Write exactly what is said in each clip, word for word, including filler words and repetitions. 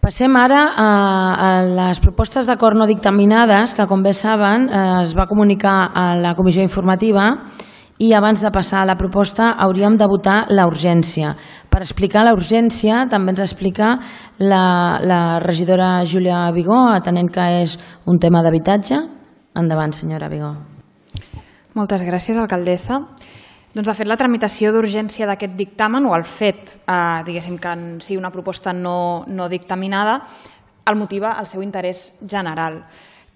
Passem ara a les propostes d'acord no dictaminades, que com bé saben es va comunicar a la comissió informativa, i abans de passar a la proposta hauríem de votar la urgència. Per explicar la urgència també ens explica la regidora Júlia Vigó, atenent que és un tema d'habitatge. Endavant, senyora Vigó. Moltes gràcies, alcaldessa. Doncs, de fet, la tramitació d'urgència d'aquest dictamen, o el fet, diguéssim, que sigui una proposta no dictaminada, el motiva el seu interès general.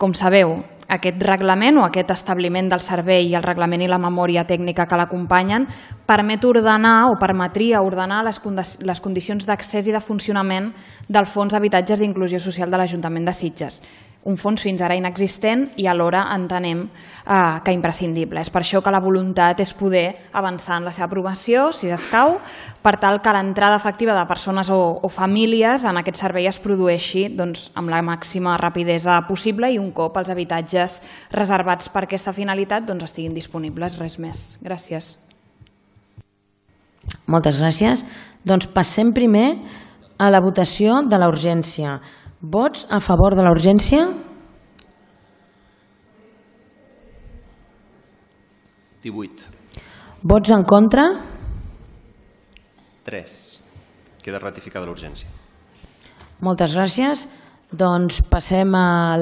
Com sabeu, aquest reglament o aquest establiment del servei i el reglament i la memòria tècnica que l'acompanyen permet ordenar o permetria ordenar les condicions d'accés i de funcionament del Fons d'Habitatges d'Inclusió Social de l'Ajuntament de Sitges. Un fons fins ara inexistent i alhora entenem que imprescindible. És per això que la voluntat és poder avançar en la seva aprovació, si escau, per tal que l'entrada efectiva de persones o famílies en aquest servei es produeixi amb la màxima rapidesa possible i un cop els habitatges reservats per aquesta finalitat estiguin disponibles. Res més. Gràcies. Moltes gràcies. Doncs passem primer a la votació de la urgència. Vots a favor de la urgència? divuit. Vots en contra? tres. Queda ratificada l'urgència. Moltes gràcies. Doncs passem a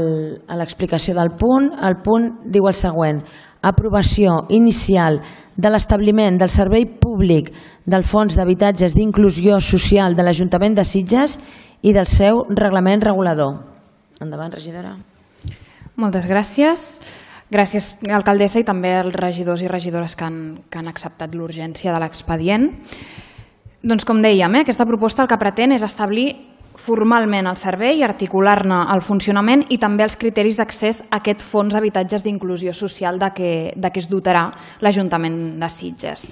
l'explicació del punt. El punt diu el següent: aprovació inicial de l'establiment del servei públic del Fons d'Habitatges d'Inclusió Social de l'Ajuntament de Sitges i del seu reglament regulador. Endavant, regidora. Moltes gràcies. Gràcies, alcaldessa, i també als regidors i regidores que han acceptat l'urgència de l'expedient. Doncs, com dèiem, aquesta proposta el que pretén és establir formalment el servei i articular-ne el funcionament i també els criteris d'accés a aquest fons d'habitatges d'inclusió social de què es dotarà l'Ajuntament de Sitges.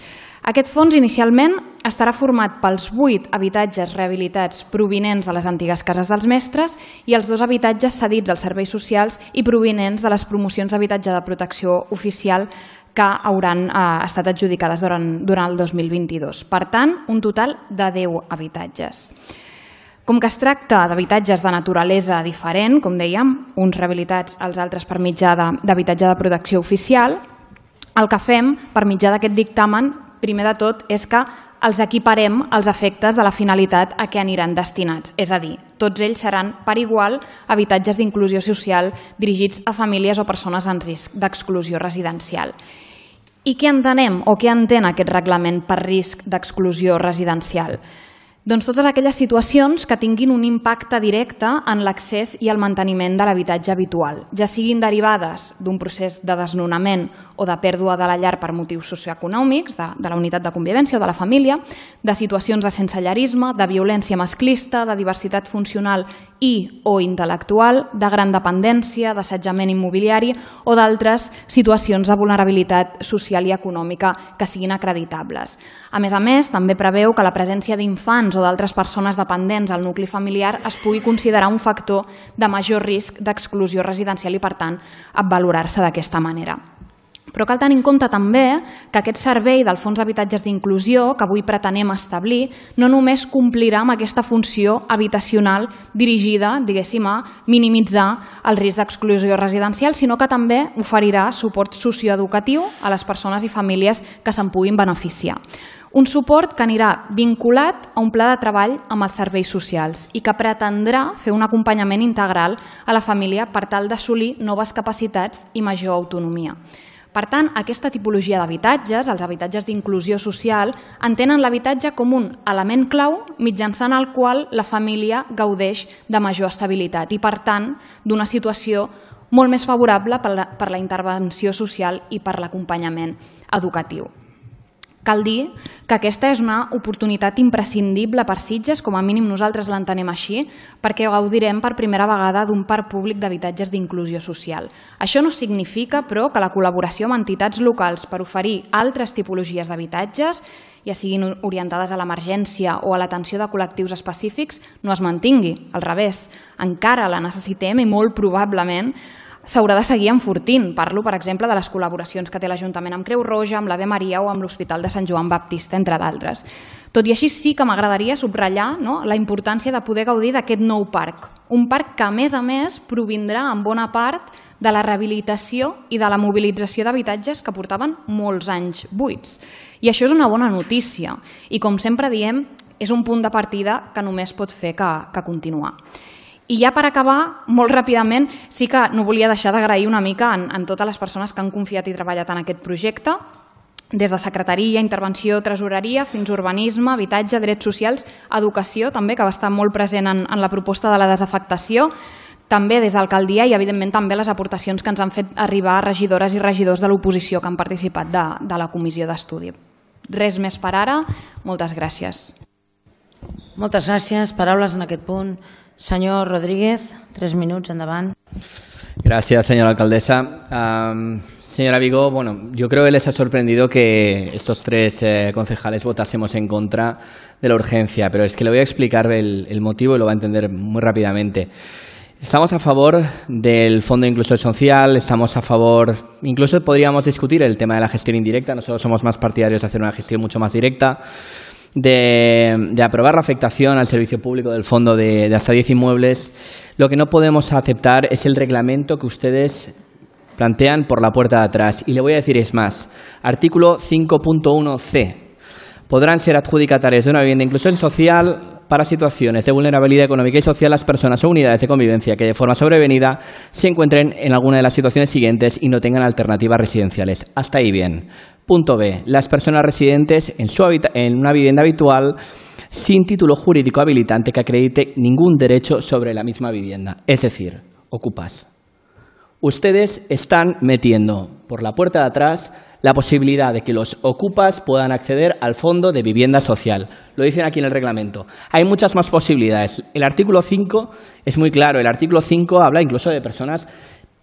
Aquest fons inicialment estarà format pels vuit habitatges rehabilitats provinents de les antigues cases dels mestres i els dos habitatges cedits als serveis socials i provinents de les promocions d'habitatge de protecció oficial que hauran estat adjudicades durant el dos mil vint-i-dos. Per tant, un total de deu habitatges. Com que es tracta d'habitatges de naturalesa diferent, com dèiem, uns rehabilitats, els altres per mitjà d'habitatge de protecció oficial, el que fem per mitjà d'aquest dictamen, primer de tot, és que els equiparem als efectes de la finalitat a què aniran destinats. És a dir, tots ells seran per igual habitatges d'inclusió social dirigits a famílies o persones en risc d'exclusió residencial. I què entenem o què entén aquest reglament per risc d'exclusió residencial? Doncs totes aquelles situacions que tinguin un impacte directe en l'accés i el manteniment de l'habitatge habitual, ja siguin derivades d'un procés de desnonament o de pèrdua de la llar per motius socioeconòmics, de la unitat de convivència o de la família, de situacions de sensellarisme, de violència masclista, de diversitat funcional i o intel·lectual, de gran dependència, d'assetjament immobiliari o d'altres situacions de vulnerabilitat social i econòmica que siguin acreditables. A més a més, també preveu que la presència d'infants o d'altres persones dependents al nucli familiar es pugui considerar un factor de major risc d'exclusió residencial i, per tant, valorar-se d'aquesta manera. Però cal tenir en compte també que aquest servei del Fons d'Habitatges d'Inclusió que avui pretenem establir no només complirà amb aquesta funció habitacional dirigida, diguéssim, a minimitzar el risc d'exclusió residencial, sinó que també oferirà suport socioeducatiu a les persones i famílies que se'n puguin beneficiar. Un suport que anirà vinculat a un pla de treball amb els serveis socials i que pretendrà fer un acompanyament integral a la família per tal d'assolir noves capacitats i major autonomia. Per tant, aquesta tipologia d'habitatges, els habitatges d'inclusió social, entenen l'habitatge com un element clau mitjançant el qual la família gaudeix de major estabilitat i, per tant, d'una situació molt més favorable per la intervenció social i per l'acompanyament educatiu. Cal dir que aquesta és una oportunitat imprescindible per Sitges, com a mínim nosaltres l'entenem així, perquè gaudirem per primera vegada d'un parc públic d'habitatges d'inclusió social. Això no significa, però, que la col·laboració amb entitats locals per oferir altres tipologies d'habitatges, ja siguin orientades a l'emergència o a l'atenció de col·lectius específics, no es mantingui. Al revés, encara la necessitem i molt probablement s'haurà de seguir enfortint. Parlo, per exemple, de les col·laboracions que té l'Ajuntament amb Creu Roja, amb l'Ave Maria o amb l'Hospital de Sant Joan Baptista, entre d'altres. Tot i així, sí que m'agradaria subratllar la importància de poder gaudir d'aquest nou parc. Un parc que, a més a més, provindrà en bona part de la rehabilitació i de la mobilització d'habitatges que portaven molts anys buits. I això és una bona notícia. I, com sempre diem, és un punt de partida que només pot fer que, que continuar. I ja per acabar, molt ràpidament, sí que no volia deixar d'agrair una mica en, en totes les persones que han confiat i treballat en aquest projecte, des de secretaria, intervenció, tresoreria, fins urbanisme, habitatge, drets socials, educació també, que va estar molt present en, en la proposta de la desafectació, també des d'alcaldia i, evidentment, també les aportacions que ens han fet arribar regidores i regidors de l'oposició que han participat de, de la comissió d'estudi. Res més per ara. Moltes gràcies. Moltes gràcies. Paraules en aquest punt. Senyor Rodríguez, tres minuts, endavant. Gracias, señora alcaldesa. Um, señora Vigo, bueno, yo creo que les ha sorprendido que estos tres eh, concejales votásemos en contra de la urgencia, pero es que le voy a explicar el, el motivo y lo va a entender muy rápidamente. Estamos a favor del Fondo de Inclusión Social, estamos a favor, incluso podríamos discutir el tema de la gestión indirecta, nosotros somos más partidarios de hacer una gestión mucho más directa, de, de aprobar la afectación al servicio público del fondo de, de hasta diez inmuebles. Lo que no podemos aceptar es el reglamento que ustedes plantean por la puerta de atrás. Y le voy a decir es más, artículo cinco punto uno ce. Podrán ser adjudicatarios de una vivienda de inclusión social para situaciones de vulnerabilidad económica y social las personas o unidades de convivencia que de forma sobrevenida se encuentren en alguna de las situaciones siguientes y no tengan alternativas residenciales. Hasta ahí bien. Punto B. Las personas residentes en, su en una vivienda habitual sin título jurídico habilitante que acredite ningún derecho sobre la misma vivienda. Es decir, ocupas. Ustedes están metiendo por la puerta de atrás la posibilidad de que los ocupas puedan acceder al fondo de vivienda social. Lo dicen aquí en el reglamento. Hay muchas más posibilidades. El artículo cinco es muy claro. El artículo cinco habla incluso de personas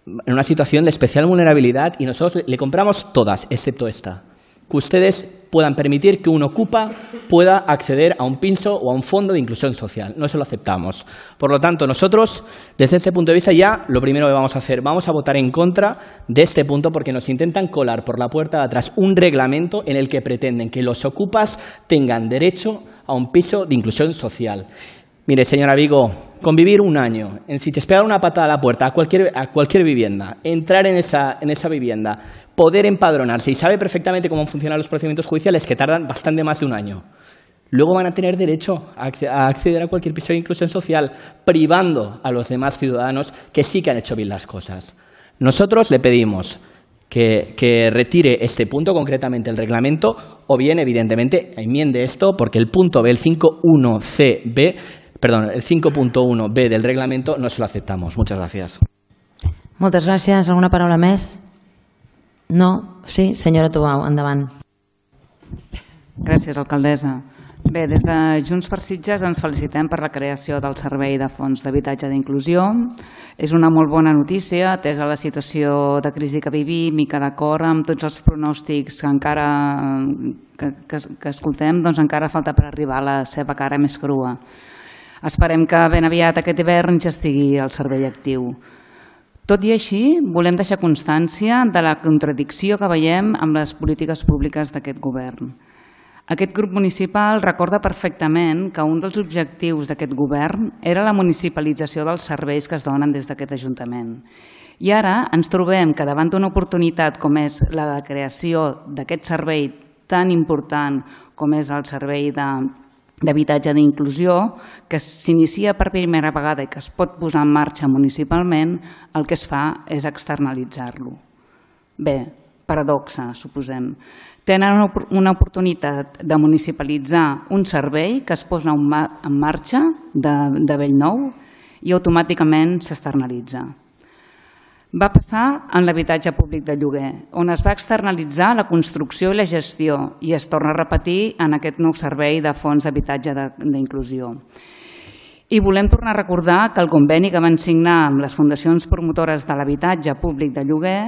en una situación de especial vulnerabilidad y nosotros le compramos todas, excepto esta. Que ustedes puedan permitir que un ocupa pueda acceder a un piso o a un fondo de inclusión social. No se lo aceptamos. Por lo tanto, nosotros, desde este punto de vista, ya lo primero que vamos a hacer, vamos a votar en contra de este punto porque nos intentan colar por la puerta de atrás un reglamento en el que pretenden que los ocupas tengan derecho a un piso de inclusión social. Mire, señora Vigo, convivir un año, en si te esperar una patada a la puerta a cualquier, a cualquier vivienda, entrar en esa, en esa vivienda, poder empadronarse y sabe perfectamente cómo funcionan los procedimientos judiciales que tardan bastante más de un año. Luego van a tener derecho a acceder a cualquier piso de inclusión social, privando a los demás ciudadanos que sí que han hecho bien las cosas. Nosotros le pedimos que, que retire este punto, concretamente el reglamento, o bien, evidentemente, enmiende esto, porque el punto B, el cinco punto uno ce be, Perdón, el cinco punto uno be del reglamento no se lo aceptamos. Muchas gracias. Moltes gràcies. Alguna paraula més? No? Sí? Senyora Tubau, endavant. Gràcies, alcaldessa. Bé, des de Junts per Sitges ens felicitem per la creació del Servei de Fons d'Habitatge d'Inclusió. És una molt bona notícia, atesa la situació de crisi que vivim i que d'acord amb tots els pronòstics que encara que, que, que escoltem, doncs encara falta per arribar a la seva cara més crua. Esperem que ben aviat aquest hivern ja estigui el servei actiu. Tot i així, volem deixar constància de la contradicció que veiem amb les polítiques públiques d'aquest govern. Aquest grup municipal recorda perfectament que un dels objectius d'aquest govern era la municipalització dels serveis que es donen des d'aquest Ajuntament. I ara ens trobem que davant d'una oportunitat com és la de creació d'aquest servei tan important com és el servei de d'habitatge d'inclusió, que s'inicia per primera vegada i que es pot posar en marxa municipalment, el que es fa és externalitzar-lo. Bé, paradoxa, suposem. Tenen una oportunitat de municipalitzar un servei que es posa en marxa de, de bell nou i automàticament s'externalitza. Va passar en l'habitatge públic de lloguer, on es va externalitzar la construcció i la gestió i es torna a repetir en aquest nou servei de fons d'habitatge d'inclusió. I volem tornar a recordar que el conveni que van signar amb les fundacions promotores de l'habitatge públic de lloguer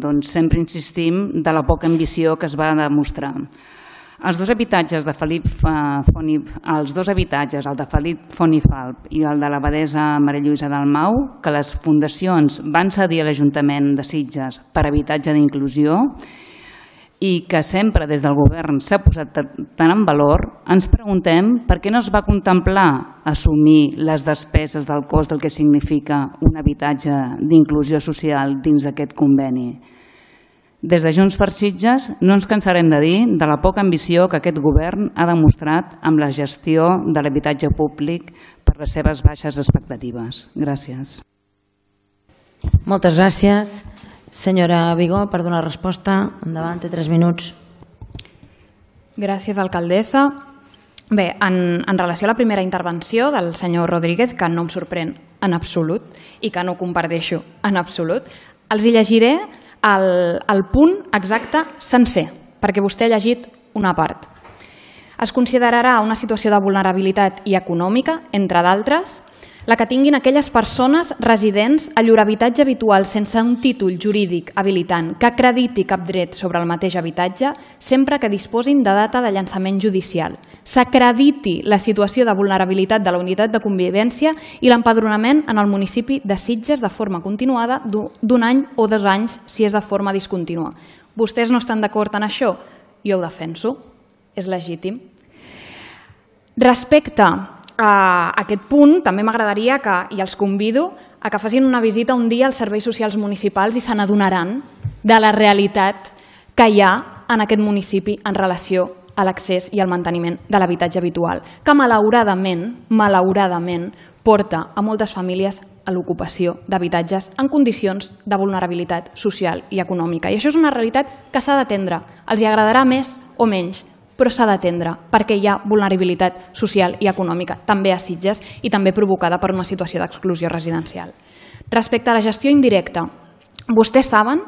doncs sempre insistim de la poca ambició que es va demostrar. Els dos habitatges de Felip Font i els dos habitatges, el de Felip Font i Falp i el de l'abadessa Maria Lluïsa Dalmau, que les fundacions van cedir a l'Ajuntament de Sitges per habitatge d'inclusió i que sempre des del govern s'ha posat tant en valor, ens preguntem per què no es va contemplar assumir les despeses del cost del que significa un habitatge d'inclusió social dins d'aquest conveni. Des de Junts per Sitges no ens cansarem de dir de la poca ambició que aquest govern ha demostrat amb la gestió de l'habitatge públic per les seves baixes expectatives. Gràcies. Moltes gràcies. Senyora Vigó, per donar resposta. Endavant, té tres minuts. Gràcies, alcaldessa. Bé, en, en relació a la primera intervenció del senyor Rodríguez, que no em sorprèn en absolut i que no comparteixo en absolut, els hi llegiré el, el punt exacte sencer, perquè vostè ha llegit una part. Es considerarà una situació de vulnerabilitat i econòmica, entre d'altres, la que tinguin aquelles persones residents a llur habitatge habitual sense un títol jurídic habilitant que acrediti cap dret sobre el mateix habitatge sempre que disposin de data de llançament judicial. S'acrediti la situació de vulnerabilitat de la unitat de convivència i l'empadronament en el municipi de Sitges de forma continuada d'un any o dos anys si és de forma discontínua. Vostès no estan d'acord en això? Jo ho defenso. És legítim. Respecte a aquest punt, també m'agradaria que, i els convido, a que facin una visita un dia als serveis socials municipals i se n'adonaran de la realitat que hi ha en aquest municipi en relació a l'accés i al manteniment de l'habitatge habitual, que malauradament, malauradament, porta a moltes famílies a l'ocupació d'habitatges en condicions de vulnerabilitat social i econòmica. I això és una realitat que s'ha d'atendre. Els hi agradarà més o menys, però s'ha d'atendre perquè hi ha vulnerabilitat social i econòmica, també a Sitges i també provocada per una situació d'exclusió residencial. Respecte a la gestió indirecta, vostès saben,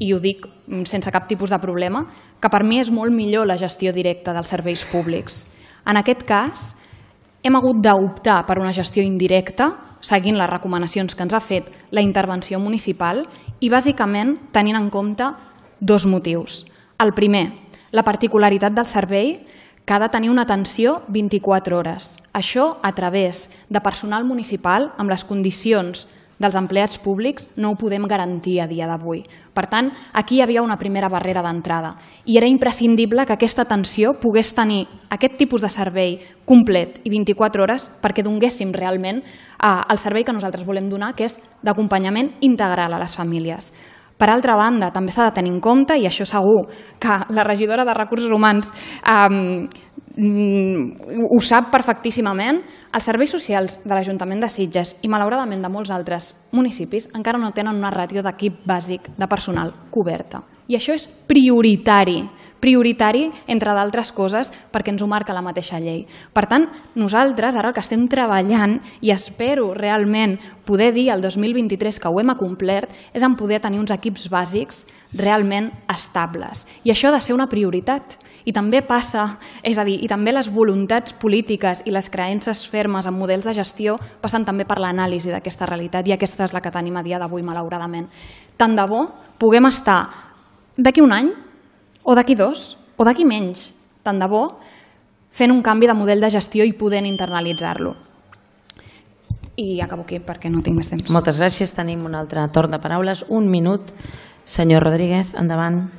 i ho dic sense cap tipus de problema, que per mi és molt millor la gestió directa dels serveis públics. En aquest cas, hem hagut d'optar per una gestió indirecta, seguint les recomanacions que ens ha fet la intervenció municipal i bàsicament tenint en compte dos motius. El primer, la particularitat del servei, que ha de tenir una atenció vint-i-quatre hores. Això a través de personal municipal amb les condicions dels empleats públics no ho podem garantir a dia d'avui. Per tant, aquí hi havia una primera barrera d'entrada i era imprescindible que aquesta atenció pogués tenir aquest tipus de servei complet i vint-i-quatre hores perquè donéssim realment el servei que nosaltres volem donar, que és d'acompanyament integral a les famílies. Per altra banda, també s'ha de tenir en compte, i això segur que la regidora de Recursos Humans eh, ho sap perfectíssimament, els serveis socials de l'Ajuntament de Sitges i malauradament de molts altres municipis encara no tenen una ràtio d'equip bàsic de personal coberta. I això és prioritari, prioritari, entre d'altres coses, perquè ens ho marca la mateixa llei. Per tant, nosaltres ara el que estem treballant, i espero realment poder dir el dos mil vint-i-tres que ho hem acomplert, és en poder tenir uns equips bàsics realment estables. I això ha de ser una prioritat. I també passa, és a dir, i també les voluntats polítiques i les creences fermes en models de gestió passen també per l'anàlisi d'aquesta realitat, i aquesta és la que tenim a dia d'avui, malauradament. Tant de bo puguem estar d'aquí un any, o d'aquí dos, o d'aquí menys, tant de bo, fent un canvi de model de gestió i podent internalitzar-lo. I acabo aquí perquè no tinc més temps. Moltes gràcies. Tenim un altre torn de paraules. Un minut. Senyor Rodríguez, endavant.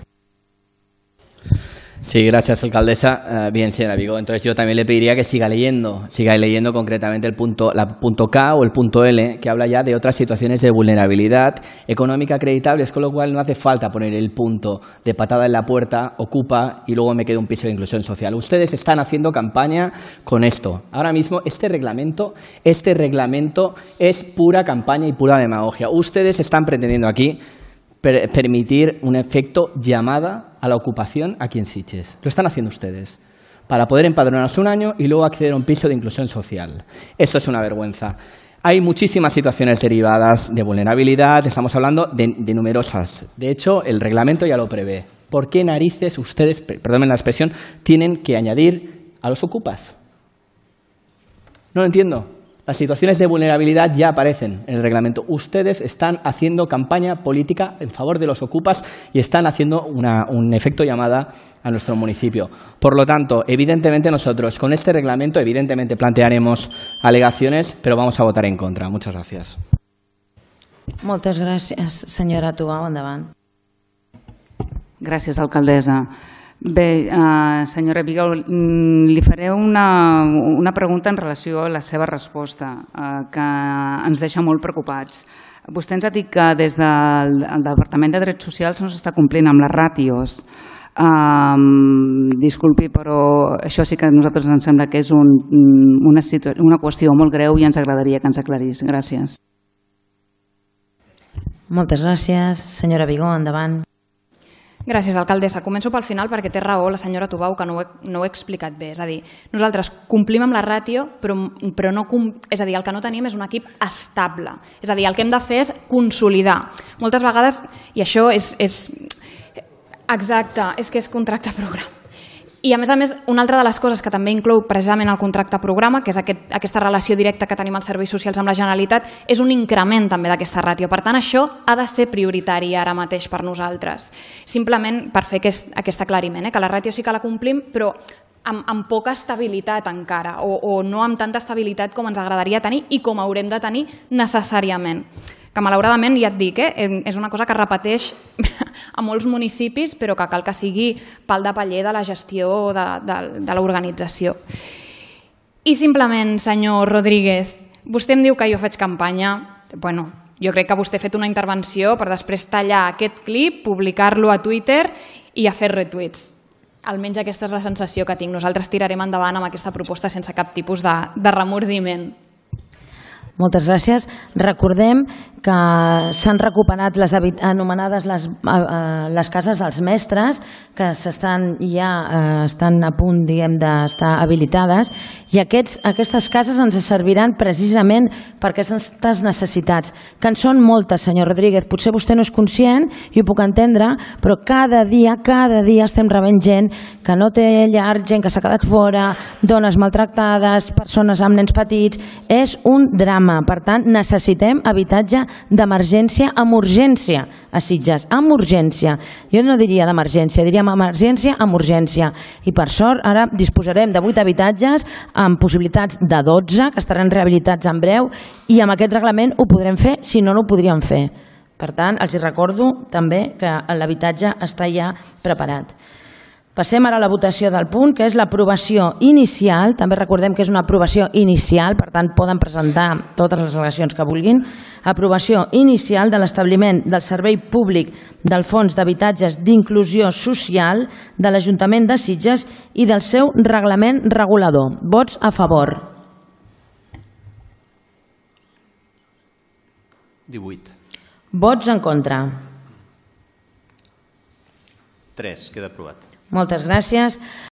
Sí, gracias, alcaldesa. Uh, bien, señora Vigó. Entonces yo también le pediría que siga leyendo, siga leyendo concretamente el punto, la punto K o el punto L, que habla ya de otras situaciones de vulnerabilidad económica acreditables, con lo cual no hace falta poner el punto de patada en la puerta, ocupa y luego me queda un piso de inclusión social. Ustedes están haciendo campaña con esto. Ahora mismo este reglamento, este reglamento es pura campaña y pura demagogia. Ustedes están pretendiendo aquí per permitir un efecto llamada a la ocupación aquí en Sitges. Lo están haciendo ustedes para poder empadronarse un año y luego acceder a un piso de inclusión social. Esto es una vergüenza. Hay muchísimas situaciones derivadas de vulnerabilidad, estamos hablando de, de numerosas. De hecho, el reglamento ya lo prevé. ¿Por qué narices ustedes, perdónenme la expresión, tienen que añadir a los ocupas? No lo entiendo. Las situaciones de vulnerabilidad ya aparecen en el reglamento. Ustedes están haciendo campaña política en favor de los ocupas y están haciendo una, un efecto llamada a nuestro municipio. Por lo tanto, evidentemente nosotros con este reglamento, evidentemente plantearemos alegaciones, pero vamos a votar en contra. Muchas gracias. Moltes gràcies, senyora Tubau. Endavant. Gràcies, alcaldessa. Bé, eh, senyora Vigó, li faré una, una pregunta en relació a la seva resposta, eh, que ens deixa molt preocupats. Vostè ens ha dit que des del Departament de Drets Socials no s'està complint amb les ràtios. Um, disculpi, però això sí que a nosaltres ens sembla que és un, una, una qüestió molt greu i ens agradaria que ens aclarís. Gràcies. Moltes gràcies. Senyora Vigó, endavant. Gràcies, alcaldessa. Començo pel final perquè té raó la senyora Tubau que no ho he, no ho he explicat bé. És a dir, nosaltres complim amb la ràtio, però, però no, és a dir, el que no tenim és un equip estable. És a dir, el que hem de fer és consolidar. Moltes vegades, i això és, és exacte, és que és contracte programa. I a més a més, una altra de les coses que també inclou precisament el contracte programa, que és aquest, aquesta relació directa que tenim als serveis socials amb la Generalitat, és un increment també d'aquesta ràtio. Per tant, això ha de ser prioritari ara mateix per nosaltres. Simplement per fer aquest, aquest aclariment, eh? Que la ràtio sí que la complim, però amb, amb poca estabilitat encara, o, o no amb tanta estabilitat com ens agradaria tenir i com haurem de tenir necessàriament. Que malauradament, ja et dic, eh, és una cosa que es repeteix a molts municipis, però que cal que sigui pal de paller de la gestió de, de, de l'organització. I simplement, senyor Rodríguez, vostè em diu que jo faig campanya. Bueno, jo crec que vostè ha fet una intervenció per després tallar aquest clip, publicar-lo a Twitter i a fer retuits. Almenys aquesta és la sensació que tinc. Nosaltres tirarem endavant amb aquesta proposta sense cap tipus de, de remordiment. Moltes gràcies. Recordem que s'han recuperat les anomenades les, eh, les cases dels mestres, que s'estan ja eh, estan a punt, diguem, d'estar habilitades, i aquests, aquestes cases ens serviran precisament per aquestes necessitats, que en són moltes, senyor Rodríguez. Potser vostè no és conscient, i ho puc entendre, però cada dia, cada dia estem rebent gent que no té llar, gent que s'ha quedat fora, dones maltractades, persones amb nens petits. És un drama. Per tant, necessitem habitatge d'emergència amb urgència a Sitges, amb urgència. Jo no diria d'emergència, diríem emergència amb urgència. I per sort ara disposarem de vuit habitatges amb possibilitats de dotze, que estaran rehabilitats en breu, i amb aquest reglament ho podrem fer, si no, no ho podríem fer. Per tant, els recordo també que l'habitatge està ja preparat. Passem ara a la votació del punt, que és l'aprovació inicial. També recordem que és una aprovació inicial, per tant poden presentar totes les al·legacions que vulguin. Aprovació inicial de l'establiment del servei públic del Fons d'Habitatges d'Inclusió Social de l'Ajuntament de Sitges i del seu reglament regulador. Vots a favor. divuit. Vots en contra. tres. Queda aprovat. Moltes gràcies.